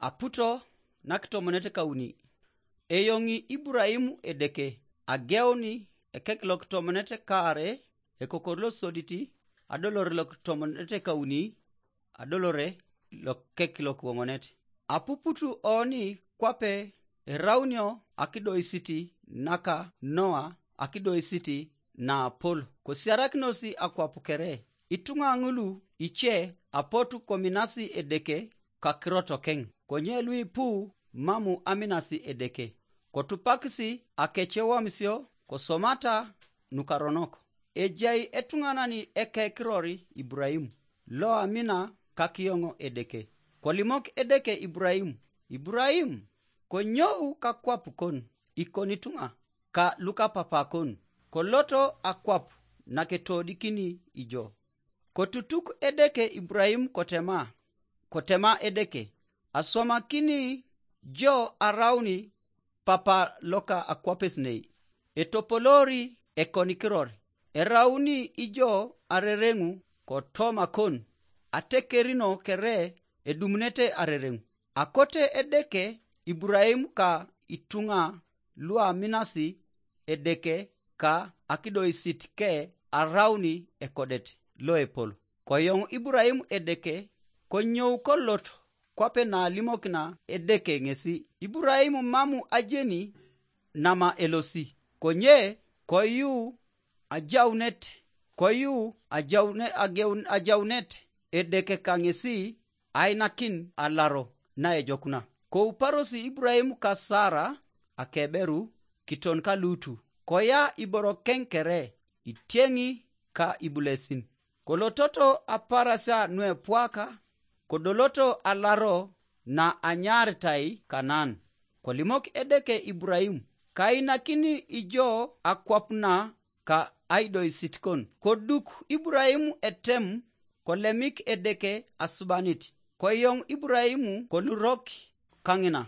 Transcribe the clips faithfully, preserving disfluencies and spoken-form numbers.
Aputo nakitomonet kauni. Eyoŋi Iburaimu Edeke, ageuni ekek lokitomonet kaare, ekokor losodit, adolore lokitomonet kauni, adolore lokek lokiwoŋonet. Apuputu oni kwape eraunio akidoisit naka Noa akidoisit naapol, kosiarakinos akwap kere. Ituŋa ŋulu ice apotu kominasi Edeke kakirotokeŋ, konye luipu mamu aminasi Edeke. Kotupakisi akecewamisio kosomata nukaronok. Ejai etuŋanan ekekiror Iburaimu, loamina kakiyoŋ Edeke. Kolimok Edeke Iburaimu, "Iburaimu, konyou kakwap kon, ikon ituŋa, ka lukapapakon, koloto akwap naketodikini ijo." Kotutuk Edeke Iburaimu kotema, kotema Edeke, "Aswamakini jo arauni papa loka akwapes nei, etopolori ekonikiror, erauni ijo arereŋu kotoma kon, atekerino kere edumunete arereŋu." Akote Edeke Iburaimu ka ituŋa luaminasi Edeke ka akidoisit ke arauni ekodet loepol. Koyoŋ Iburaimu Edeke, konyou kolot kwape nalimokina Edeke ŋesi. Iburaimu mamu ajeni nama elosi, konye koyu ajaunet, koyu ajaune, ageun, ajaunet Edeke ka ŋesi ainakin alaro naejokuna. Kouparosi Iburaimu ka Sara akeberu kiton ka Lutu, koya iborokeŋ kere, itieŋi ka ibulesin. Kolototo aparasia nuepwaka, kodoloto alaro na anyaaritai Kanaan. Kolimok Edeke Iburaimu, "Kainakini ijo akwap na ka aidoisit kon." Koduk Iburaimu etem, kolemik Edeke asubanit. Koyoŋ Iburaimu kolurok kaŋina.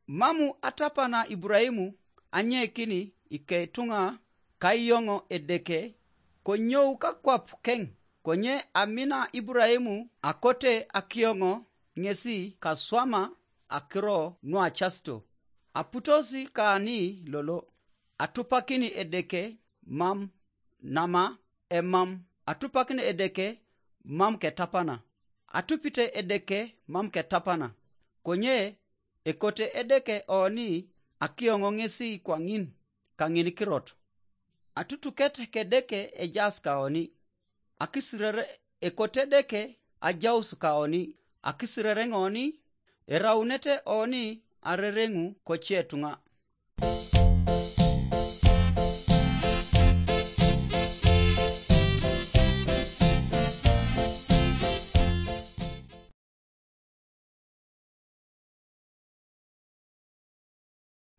Mamu atapana Iburaimu anyekini iketuŋa kayoŋo Edeke, konyou kakwap keŋ, konye amina Iburaimu akote akioŋo ŋesi kaswama akiro nuacasito. Aputosi kani lolo, atupakini Edeke mam, nama emam, atupakini Edeke mam ketapana, atupite Edeke mam ketapana, konye ekote Edeke oni akioŋo ŋesi kwaŋin kaŋin kirot. Atutuket kedeke ejaas kaoni, akisirere ekote Edeke ajaus kaoni, akisirere ŋoni, eraunete oni arereŋu kocetuŋa,